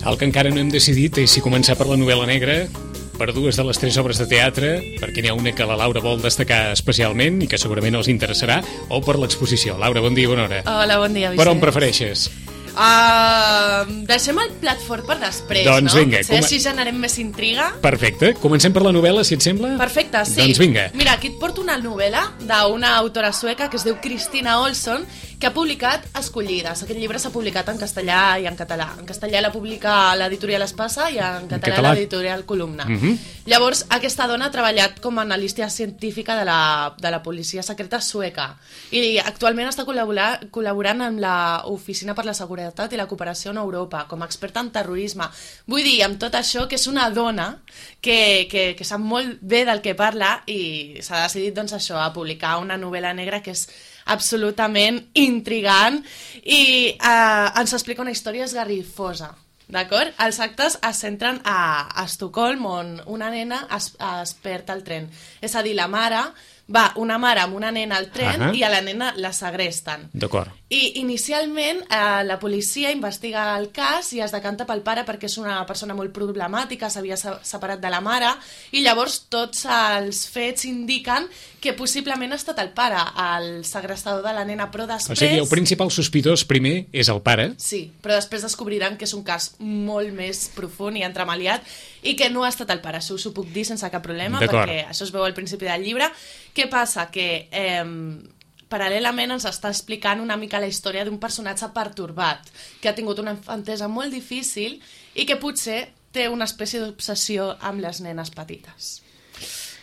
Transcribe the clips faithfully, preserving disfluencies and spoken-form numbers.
El que encara no hem decidit és si començar per la novel·la negra, per dues de les tres obres de teatre, perquè n'hi ha una que la Laura vol destacar especialment i que segurament els interessarà, o per l'exposició. Laura, bon dia, bona hora. Hola, bon dia, Vicent. Per on prefereixes? Uh, deixem el plat fort per després, doncs, no? Vinga, Potser com... així generem més intriga. Perfecte. Comencem per la novel·la, si et sembla? Perfecte, sí. Doncs vinga. Mira, aquí et porto una novel·la d'una autora sueca que es diu Kristina Olsson, que ha publicat Escollides. Aquest llibre s'ha publicat en castellà i en català. En castellà la publica l'editorial Espasa i en català, català... l'editorial Columna. Uh -huh. Llavors, aquesta dona ha treballat com a analista científica de la, de la policia secreta sueca i actualment està col·laborant, col·laborant amb l'Oficina per la Seguretat i la Cooperació en Europa, com a experta en terrorisme. Vull dir, amb tot això, que és una dona que, que, que sap molt bé del que parla i s'ha decidit, doncs, això, a publicar una novel·la negra que és absolutament intrigant i eh, ens explica una història esgarrifosa, d'acord? Els actes es centren a, a Estocolm, on una nena es, es perd al tren. És a dir, la mare va una mare amb una nena al tren uh -huh. i a la nena la segresten. D'acord. I inicialment eh, la policia investiga el cas i es decanta pel pare perquè és una persona molt problemàtica, s'havia separat de la mare, i llavors tots els fets indiquen que possiblement ha estat el pare, el segrestador de la nena, però després... O sigui, el principal sospitós primer és el pare. Sí, però després descobriran que és un cas molt més profund i entremaliat i que no ha estat el pare, això us ho puc dir sense cap problema, perquè això es veu al principi del llibre. Què passa? Que... Eh, paral·lelament ens està explicant una mica la història d'un personatge pertorbat, que ha tingut una infantesa molt difícil i que potser té una espècie d'obsessió amb les nenes petites.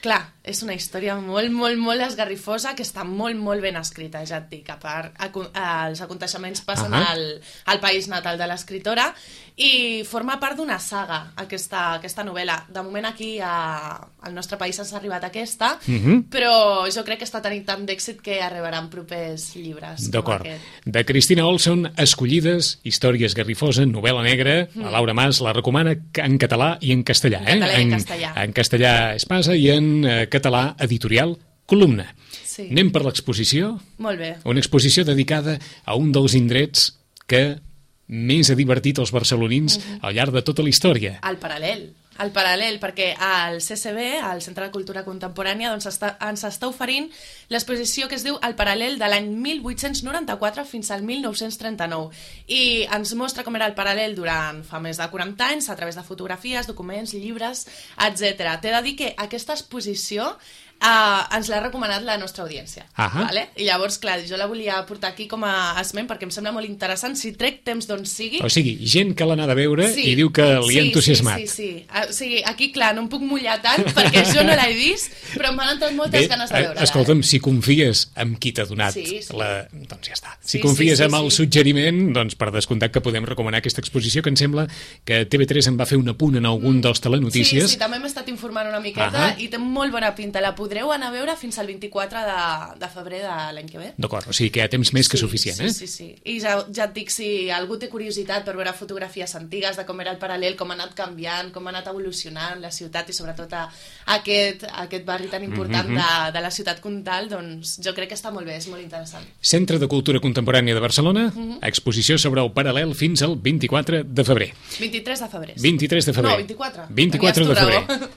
Clar, és una història molt, molt, molt esgarrifosa, que està molt, molt ben escrita, ja et dic. A part, els aconteixements passen uh -huh. al, al país natal de l'escriptora i forma part d'una saga, aquesta, aquesta novel·la. De moment aquí a, al nostre país ens ha arribat aquesta, uh -huh. però jo crec que està tenint tant d'èxit que arribaran propers llibres. D'acord. De Kristina Olsson, Escollides, història esgarrifosa, novel·la negra. Mm. La Laura Mas la recomana en català i en castellà. En català eh? i en castellà. En, en castellà Espasa i en eh, català editorial Columna. Sí. Anem per l'exposició. Molt bé. Una exposició dedicada a un dels indrets que més ha divertit els barcelonins uh -huh. al llarg de tota la història. El Paral·lel. El Paral·lel, perquè al C C B, al Centre de Cultura Contemporània, doncs està, ens està oferint l'exposició que es diu El Paral·lel de l'any mil vuit-cents noranta-quatre fins al mil nou-cents trenta-nou. I ens mostra com era el Paral·lel durant fa més de quaranta anys, a través de fotografies, documents, llibres, etcètera. T'he de dir que aquesta exposició Uh, ens l'ha recomanat la nostra audiència. Uh -huh. Vale? I llavors, clar, jo la volia portar aquí com a esment perquè em sembla molt interessant, si trec temps d'on sigui. O sigui, gent que l'ha anat a veure sí. i diu que li ha sí, entusiasmat. Sí, sí, sí. O sigui, aquí, clar, no em puc mullar tant perquè jo no l'he vist, però m'han entrat moltes Bé, ganes de veure-la. Escolta'm, eh? si confies en qui t'ha donat sí, sí. la... doncs ja està. Si sí, confies sí, sí, en el sí. suggeriment, doncs per descomptat que podem recomanar aquesta exposició, que em sembla que T V tres en va fer un apunt en algun mm. dels telenotícies. Sí, sí, també m'he estat informant una miqueta uh -huh. i té molt bona pinta. La podreu anar a veure fins al vint-i-quatre de, de febrer de l'any que ve. D'acord, o sigui que hi ha temps més que sí, suficient, sí, eh? Sí, sí, sí. I ja, ja et dic, si algú té curiositat per veure fotografies antigues de com era el Paral·lel, com ha anat canviant, com ha anat evolucionant la ciutat i sobretot a aquest, a aquest barri tan important mm -hmm. de, de la ciutat comtal, doncs jo crec que està molt bé, és molt interessant. Centre de Cultura Contemporània de Barcelona, mm -hmm. exposició sobre el Paral·lel fins al vint-i-quatre de febrer. vint-i-tres de febrer. Sí. vint-i-tres de febrer. No, vint-i-quatre. vint-i-quatre de febrer.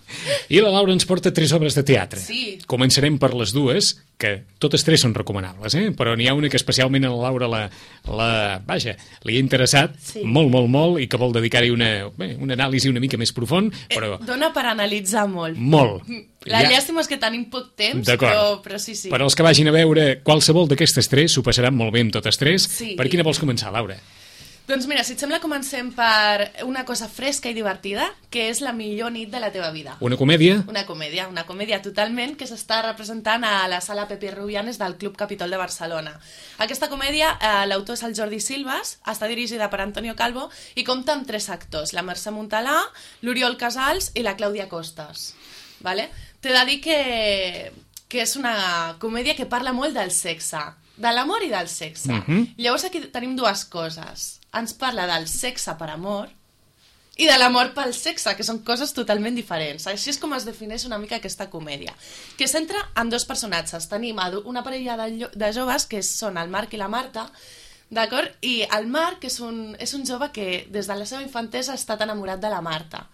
I la Laura ens porta tres obres de teatre. Sí. Començarem per les dues, que totes tres són recomanables, eh? Però n'hi ha una que especialment a la Laura la, la, vaja, li ha interessat sí. molt, molt, molt, i que vol dedicar-hi una, bé, una anàlisi una mica més profund, però... Eh, dona per analitzar molt. Molt. La ja... llàstima és que tenim poc temps, però, però sí, sí. Però els que vagin a veure qualsevol d'aquestes tres s'ho passaran molt bé amb totes tres. Sí. Per quina vols començar, Laura? Doncs mira, si et sembla, comencem per una cosa fresca i divertida, que és La millor nit de la teva vida. Una comèdia? Una comèdia, una comèdia totalment, que s'està representant a la sala Pepe Rubianes del Club Capitol de Barcelona. Aquesta comèdia, eh, l'autor és el Jordi Silvas, està dirigida per Antonio Calvo i compta amb tres actors, la Mercè Montalà, l'Oriol Casals i la Clàudia Costas. Vale? T'he de dir que, que és una comèdia que parla molt del sexe, de l'amor i del sexe. Uh-huh. Llavors aquí tenim dues coses. Ens parla del sexe per amor i de l'amor pel sexe, que són coses totalment diferents. Així és com es defineix una mica aquesta comèdia, que es centra en dos personatges. Tenim una parella de, de joves, que són el Marc i la Marta, D'acord? I el Marc és un, és un jove que des de la seva infantesa ha estat enamorat de la Marta,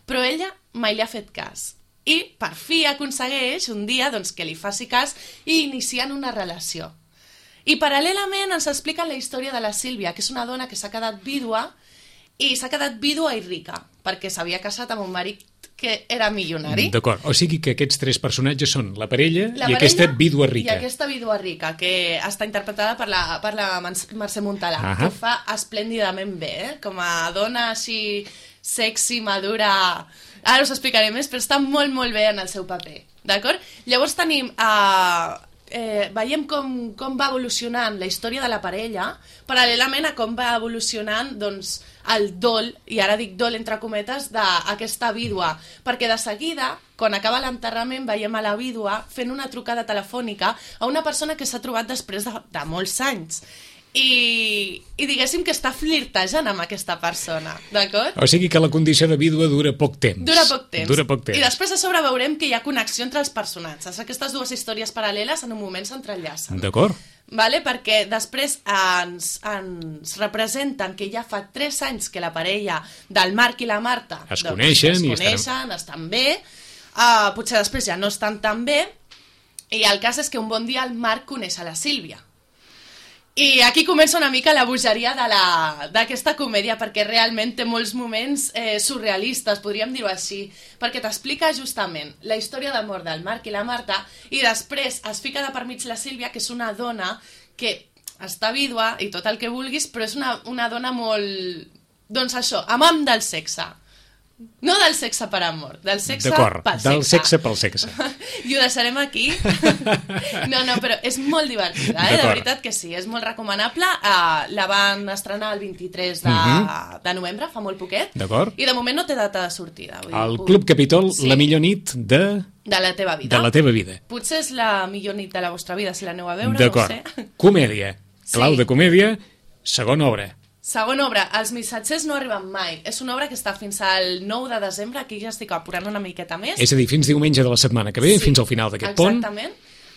però ella mai li ha fet cas. I per fi aconsegueix un dia doncs, que li faci cas i inicien una relació. I paral·lelament ens expliquen la història de la Sílvia, que és una dona que s'ha quedat vídua i s'ha quedat vídua i rica, perquè s'havia casat amb un marit que era milionari. D'acord, o sigui que aquests tres personatges són la parella, la i parella aquesta vídua rica. I aquesta vídua rica, que està interpretada per la, per la Mercè Montalà, uh -huh. que ho fa esplèndidament bé, eh? Com a dona així sexy, madura... Ara us explicaré més, però està molt, molt bé en el seu paper, d'acord? Llavors tenim... Uh, eh, veiem com, com va evolucionant la història de la parella, paral·lelament a com va evolucionant, doncs, el dol, i ara dic dol entre cometes, d'aquesta vídua, perquè de seguida, quan acaba l'enterrament, veiem a la vídua fent una trucada telefònica a una persona que s'ha trobat després de, de molts anys. I, i diguéssim que està flirtejant amb aquesta persona, d'acord? O sigui que la condició de vídua dura poc temps. Dura poc temps. Dura poc temps. I després a sobre veurem que hi ha connexió entre els personatges. Aquestes dues històries paral·leles en un moment s'entrellacen. D'acord. Vale? Perquè després ens, ens representen que ja fa tres anys que la parella del Marc i la Marta es doncs, coneixen, es i coneixen estan... estan bé, uh, potser després ja no estan tan bé, i el cas és que un bon dia el Marc coneix a la Sílvia. I aquí comença una mica la bogeria d'aquesta comèdia, perquè realment té molts moments eh, surrealistes, podríem dir-ho així, perquè t'explica justament la història d'amor del Marc i la Marta, i després es fica de per mig la Sílvia, que és una dona que està vídua i tot el que vulguis, però és una, una dona molt... Doncs això, amant del sexe. No del sexe per amor, del sexe pel sexe. Del sexe pel sexe. I ho deixarem aquí. No, no, però és molt divertida, eh? De veritat que sí, és molt recomanable. Uh, la van estrenar el vint-i-tres de, uh-huh. de novembre, fa molt poquet. D'acord. I de moment no té data de sortida. Vull el dir, Club Capítol, sí. La millor nit de... De la teva vida. De la teva vida. Potser és la millor nit de la vostra vida, si l'aneu a veure, d'acord. No ho sé. Comèdia. Clau sí. de comèdia, segona obra. Segona obra, Els missatgers no arriben mai. És una obra que està fins al nou de desembre, aquí ja estic apurant una miqueta més. És a dir, fins diumenge de la setmana que ve, sí, fins al final d'aquest pont. Exactament.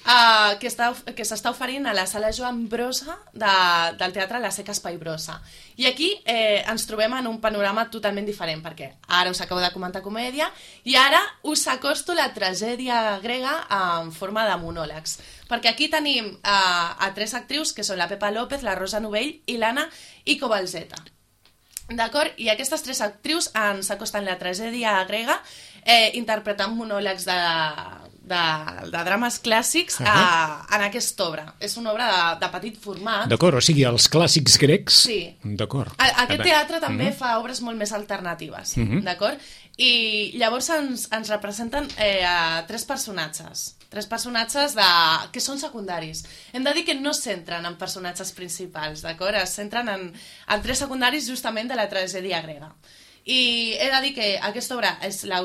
Uh, que està, que s'està oferint a la sala Joan Brossa de, del Teatre La Seca Espai Brossa. I aquí eh, ens trobem en un panorama totalment diferent, perquè ara us acabo de comentar comèdia i ara us acosto la tragèdia grega en forma de monòlegs. Perquè aquí tenim uh, a tres actrius, que són la Pepa López, la Rosa Novell i l'Anna Icobalzeta. D'acord? I aquestes tres actrius ens acosten la tragèdia grega eh, interpretant monòlegs de, de, de drames clàssics uh -huh. a, en aquesta obra. És una obra de, de petit format. D'acord, o sigui, els clàssics grecs... Sí. D'acord. Aquest teatre també uh -huh. fa obres molt més alternatives, uh -huh. d'acord? I llavors ens, ens representen eh, a tres personatges. Tres personatges de... que són secundaris. Hem de dir que no es centren en personatges principals, d'acord? Es centren en, en tres secundaris justament de la tragèdia grega. I he de dir que aquesta obra,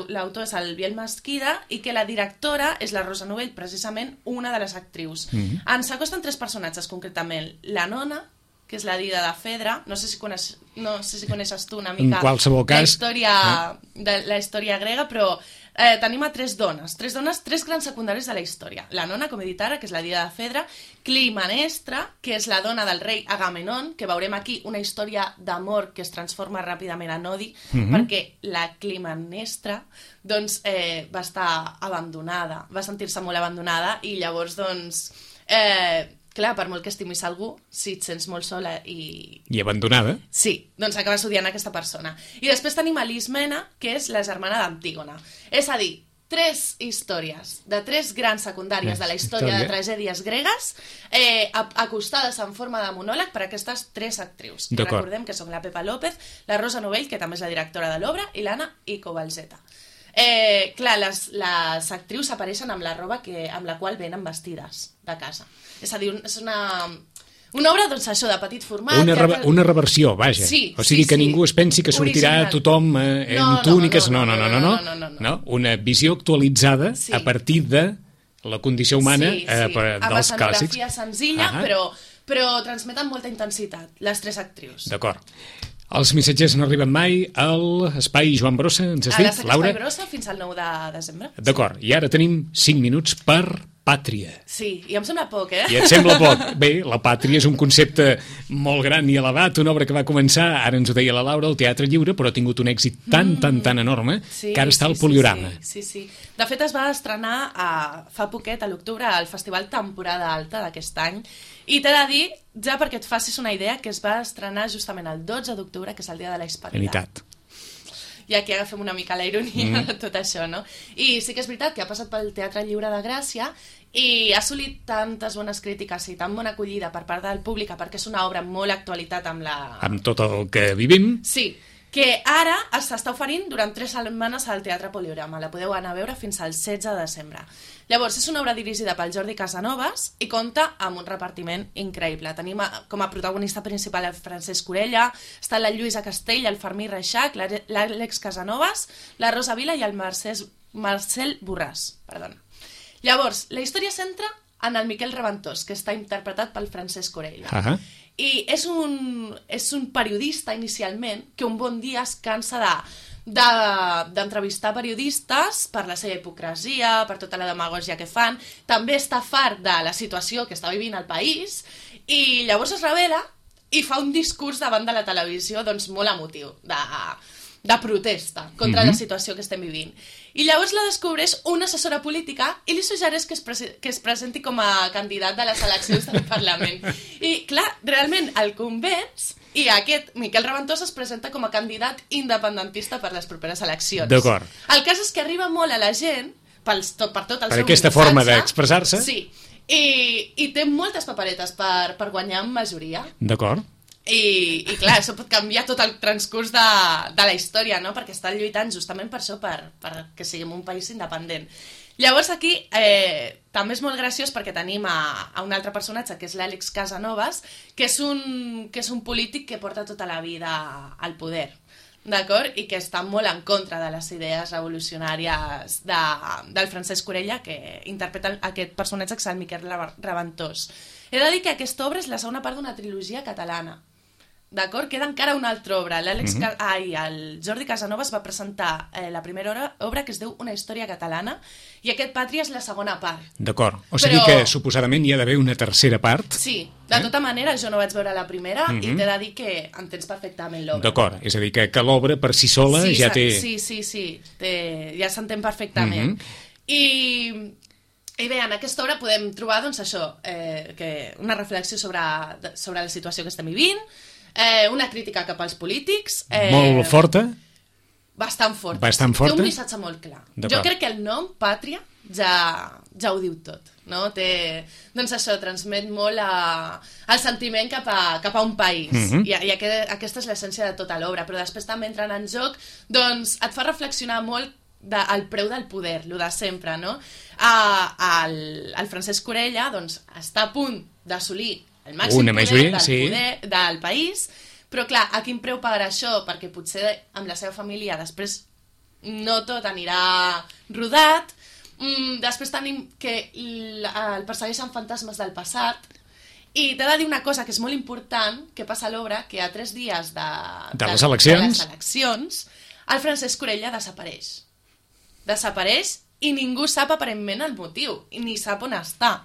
l'autor és el Biel Mesquida i que la directora és la Rosa Novell, precisament una de les actrius. Mm-hmm. Ens acosten tres personatges, concretament. La nona, que és la Dida de Fedra, no sé si, coneix, no sé si coneixes tu una mica cas, la, història, eh? de, la història grega, però eh, tenim a tres dones, tres dones, tres grans secundaris de la història. La nona, com he dit ara, que és la Dida de Fedra, Climanestra, que és la dona del rei Agamenon, que veurem aquí una història d'amor que es transforma ràpidament en odi, mm-hmm. perquè la Climanestra doncs, eh, va estar abandonada, va sentir-se molt abandonada i llavors, doncs... Eh, clar, per molt que estimis algú, si et sents molt sola i... I abandonada. Sí, doncs acabes odiant aquesta persona. I després tenim a Lismena, que és la germana d'Antígona. És a dir, tres històries de tres grans secundàries de la història de tragèdies gregues eh, acostades en forma de monòleg per aquestes tres actrius. Que recordem que són la Pepa López, la Rosa Novell, que també és la directora de l'obra, i l'Anna Icobalzeta. Eh, clar, les, les actrius apareixen amb la roba que, amb la qual venen vestides de casa. És a dir, és una, una obra, doncs, això, de petit format. Una, re una reversió, vaja. Sí, o sigui sí, que sí. ningú es pensi que sortirà original. Tothom eh, no, en túniques. No no no no, no, no, no, no, no, no. Una visió actualitzada sí. a partir de la condició humana sí, sí. eh, per, amb dels clàssics. Amb escenografia senzilla, uh -huh. però, però transmeten molta intensitat, les tres actrius. D'acord. Els missatgers no arriben mai a l'Espai Joan Brossa, ens has dit, Laura? A l'Espai Brossa fins al nou de desembre. D'acord, i ara tenim cinc minuts per pàtria. Sí, i em sembla poc, eh? I et sembla poc. Bé, la pàtria és un concepte molt gran i elevat, una obra que va començar, ara ens ho deia la Laura, al Teatre Lliure, però ha tingut un èxit tan, mm. tan, tan enorme, sí, que ara està al sí, Poliorama. Sí, sí, sí. De fet, es va estrenar a, fa poquet, a l'octubre, al Festival Temporada Alta d'aquest any, i t'he de dir, ja perquè et facis una idea, que es va estrenar justament el dotze d'octubre, que és el dia de la Hispanitat. I aquí agafem una mica la ironia mm. de tot això, no? I sí que és veritat que ha passat pel Teatre Lliure de Gràcia i ha assolit tantes bones crítiques i tan bona acollida per part del públic, perquè és una obra molt actualitat amb la... Amb tot el que vivim. Sí, que ara s'està oferint durant tres setmanes al Teatre Poliorama. La podeu anar a veure fins al setze de desembre. Llavors, és una obra dirigida pel Jordi Casanovas i compta amb un repartiment increïble. Tenim com a protagonista principal el Francesc Corella, està la Lluïsa Castell, el Fermí Reixac, l'Àlex Casanovas, la Rosa Vila i el Marcès, Marcel Borràs. Perdona. Llavors, la història centra en el Miquel Reventós, que està interpretat pel Francesc Corella. Uh -huh. I és un, és un periodista, inicialment, que un bon dia es cansa de d'entrevistar periodistes per la seva hipocresia, per tota la demagògia que fan. També està fart de la situació que està vivint el país i llavors es revela i fa un discurs davant de la televisió doncs molt emotiu, de, de protesta contra mm-hmm. la situació que estem vivint. I llavors la descobreix una assessora política i li suggereix que es, que es presenti com a candidat de les eleccions del Parlament. I clar, realment el convenç i aquest Miquel Reventós es presenta com a candidat independentista per les properes eleccions. D'acord. El cas és que arriba molt a la gent pels, tot, per tot el per seu aquesta missatge, forma d'expressar-se. Sí, i, i té moltes paperetes per, per guanyar en majoria. D'acord. I, i clar, això pot canviar tot el transcurs de, de la història, no? Perquè estan lluitant justament per això, per, per que siguem un país independent. Llavors aquí eh, també és molt graciós perquè tenim a, a un altre personatge, que és l'Àlex Casanovas, que és, un, que és un polític que porta tota la vida al poder, d'acord? I que està molt en contra de les idees revolucionàries de, del Francesc Corella, que interpreta aquest personatge, que és el Miquel Reventós. He de dir que aquesta obra és la segona part d'una trilogia catalana. D'acord? Queda encara una altra obra. L'Àlex mm-hmm. Ai, el Jordi Casanovas va presentar eh, la primera obra, obra que es diu Una història catalana i aquest Pàtria és la segona part. D'acord. O sigui Però... que suposadament hi ha d'haver una tercera part. Sí. De eh? tota manera, jo no vaig veure la primera mm-hmm. i t'he de dir que entens perfectament l'obra. D'acord. És a dir, que, que l'obra per si sola sí, ja té... Sí, sí, sí. Té... Ja s'entén perfectament. Mm-hmm. I... I bé, en aquesta obra podem trobar, doncs, això, eh, que una reflexió sobre, sobre la situació que estem vivint, eh, una crítica cap als polítics... Eh, molt forta? Bastant forta. Bastant forta? Té un missatge molt clar. Jo crec que el nom, Pàtria, ja, ja ho diu tot, no? Té, doncs això, transmet molt a, el sentiment cap a, cap a un país, mm-hmm. i, i aquest, aquesta és l'essència de tota l'obra, però després també entrant en joc, doncs et fa reflexionar molt de, el preu del poder, lo de sempre, no? A, el, el Francesc Corella doncs, està a punt d'assolir el màxim Una poder, majoria, del, sí. poder del país, però clar, a quin preu pagarà això? Perquè potser amb la seva família després no tot anirà rodat, mm, després tenim que el, el persegueixen fantasmes del passat, i t'he de dir una cosa que és molt important, que passa a l'obra, que a tres dies de, de, les, eleccions. de les eleccions el Francesc Corella desapareix. Desapareix i ningú sap aparentment el motiu, i ni sap on està.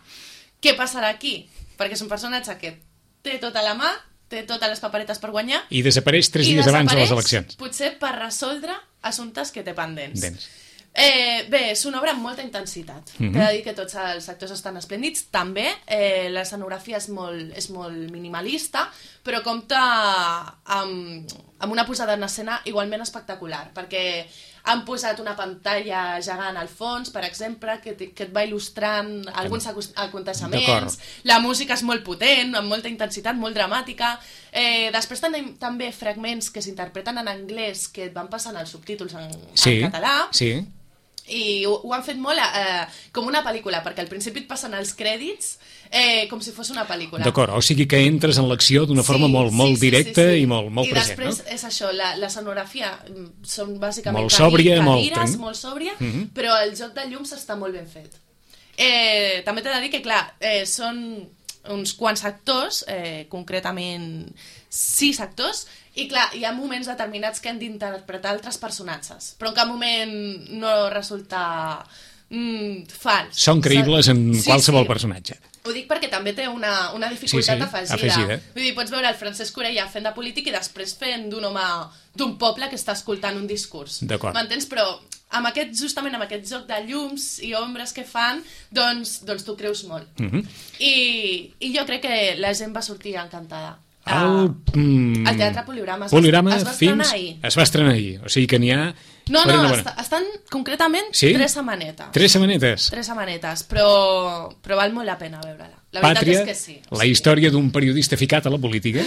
Què passarà aquí? Perquè és un personatge que té tota la mà, té totes les paperetes per guanyar... I desapareix tres dies abans de les eleccions. Potser per resoldre assumptes que té pendents. Dents. Eh, bé, és una obra amb molta intensitat. Mm-hmm. T'he de dir que tots els actors estan esplèndids. També eh, l'escenografia és molt, és molt minimalista, però compta amb, amb una posada en escena igualment espectacular, perquè han posat una pantalla gegant al fons, per exemple, que, que et va il·lustrant alguns aconteixements. La música és molt potent, amb molta intensitat, molt dramàtica. Eh, després tenim també fragments que s'interpreten en anglès que et van passant els subtítols en, sí, en català. Sí, i ho, ho han fet molt eh, com una pel·lícula, perquè al principi et passen els crèdits eh, com si fos una pel·lícula. D'acord, o sigui que entres en l'acció d'una sí, forma molt, molt sí, directa sí, sí, sí. i molt, molt I present, després no? és això, la, la sonografia són bàsicament molt sòbria, cadires, molt, molt sòbria, mm-hmm. però el joc de llums està molt ben fet. Eh, també t'he de dir que, clar, eh, són uns quants actors, eh, concretament sis actors, i clar, hi ha moments determinats que han d'interpretar altres personatges, però en cap moment no resulta mm, fals. Són creïbles en sí, qualsevol sí. personatge. Ho dic perquè també té una, una dificultat sí, sí, afegida. afegida. Vull dir, pots veure el Francesc Orella fent de polític i després fent d'un home d'un poble que està escoltant un discurs. D'acord. M'entens? Però amb aquest, justament amb aquest joc de llums i ombres que fan, doncs, doncs tu creus molt. Uh -huh. I, I jo crec que la gent va sortir encantada. El, mm, el Teatre Poliorama es, Poliorama va, es va estrenar fins, ahir. Es va estrenar ahir, o sigui que n'hi ha... No, per no, una bona... est estan concretament sí? tres setmanetes. Tres setmanetes. Tres setmanetes, però, però val molt la pena veure-la. La veritat Pàtria, és que sí. la història d'un periodista ficat a la política.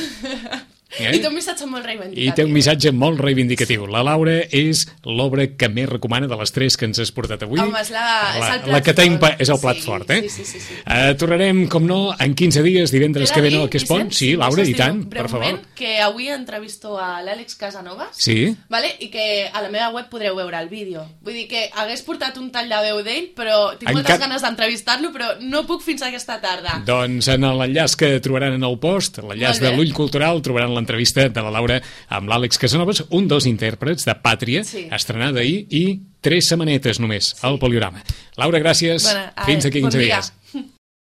Eh? I té un missatge molt reivindicatiu. I té un missatge molt reivindicatiu. La Laura és l'obra que més recomana de les tres que ens has portat avui. Home, és, la, la, és el plat la que fort. impa... és el plat sí, fort, eh? Sí, sí, sí. sí. Uh, tornarem, com no, en quinze dies, divendres que ve no, que es pon. Sí, Laura, i tant, per favor. Que avui entrevisto a l'Àlex Casanovas, sí? vale? I que a la meva web podreu veure el vídeo. Vull dir que hagués portat un tall de veu d'ell, però tinc moltes Enca... ganes d'entrevistar-lo, però no puc fins aquesta tarda. Doncs en l'enllaç que trobaran en el post, l'enllaç de l'Ull Cultural, trobaran l'entrevista de la Laura amb l'Àlex Casanovas, un dels intèrprets de Pàtria, sí. estrenada ahir, i tres setmanetes només, sí. al Poliorama. Laura, gràcies. Bueno, ai, fins aquí quinze bon dies. dia.